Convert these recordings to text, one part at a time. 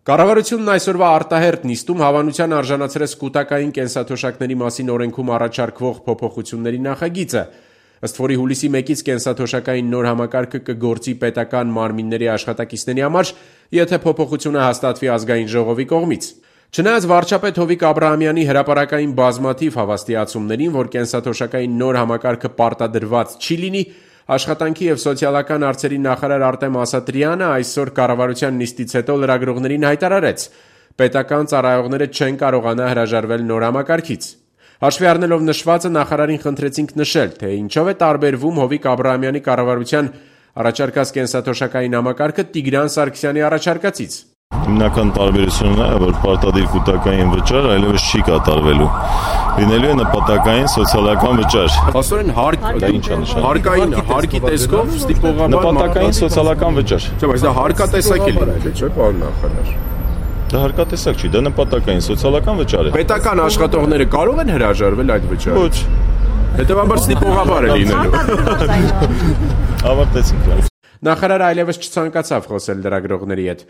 Կառավարությունն այսօրվա արտահերթ նիստում հավանության արժանացրեց կուտակային կենսաթոշակների մասին օրենքում առաջարկվող փոփոխությունների նախագիծը, ըստ որի հուլիսի 1-ից կենսաթոշակային նոր համակարգը կգործի պետական մարմինների աշխատակիցների համար, եթե փոփոխությունը հաստատվի ազգային ժողովի կողմից։ Չնայած վարչապետ Հովիկ Աբրահամյանի հրապարակային բազմաթիվ հավաստիացումներին, որ կենսաթոշակային նոր համակարգը պարտադրված չի լինի, Աշխատանքի և սոցիալական հարցերի նախարար Արտեմ Ասատրյանը այսօր կառավարության նիստից հետո լրագրողներին հայտարարեց. պետական ծառայողները չեն կարողանա հրաժարվել նոր համակարգից։ Հաշվի առնելով նշվածը, նախարարին խնդրեցինք նշել, թե ինչով է տարբերվում Հովիկ Աբրահամյանի կառավարության առաջարկած կենսաթոշակային համակարգը Տիգրան Սարգսյանի առաջարկածից։ Հիմնական տարբերությունն է, որ պարտադիր կուտակային վճար այլևս չի կատարվելու։ Լինելու է նպատակային սոցիալական վճար։ Փաստորեն հարկի տեսքով ստիպողաբար նպատակային սոցիալական վճար։ Չէ, բայց դա հարկատեսակ է լինելու, չէ՞, պարոն նախարար։ Դա հարկատեսակ չի, դա նպատակային սոցիալական վճար է։ Պետական աշխատողները կարող են հրաժարվել այդ վճարից։ Ոչ։ Հետևաբար ստիպողաբար է լինելու։ Ավարտեցինք։ Նախարարը այլևս չցանկացավ խոսել լրագրողների հետ։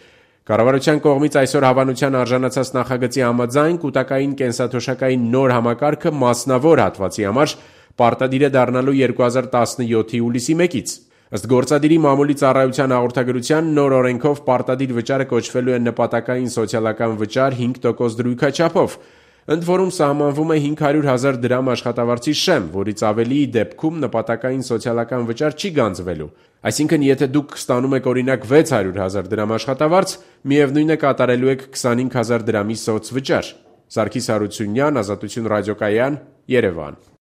Կառավարության կողմից այսօր հավանության արժանացած նախագծի համաձայն կուտակային կենսաթոշակային նոր համակարգը մասնավոր հատվածի համար պարտադիր է դառնալու 2017-ի հուլիսի 1-ից։ Ըստ գործադիրի մամուլի ծառայության հաղորդագրության նոր օրենքով պարտադիր վճարը կոչվելու է նպատակային սոցիալական վճար 5% դրույքաչափով, ընդ որում սահմանվում է 500,000 դրամ աշխատավարձի շեմ, որից ավելիի դեպքում նպատակային սոցիալական վճար չի գանձվելու։ Այսինքն, եթե դուք ստանում եք օրինակ 600,000 դրամ աշխատավարձ, միևնույն է կատարելու եք 25,000 դրամի սոցվճար։ Սարգիս Հարությունյան, Ազատություն ռադիոկայան, Երևան։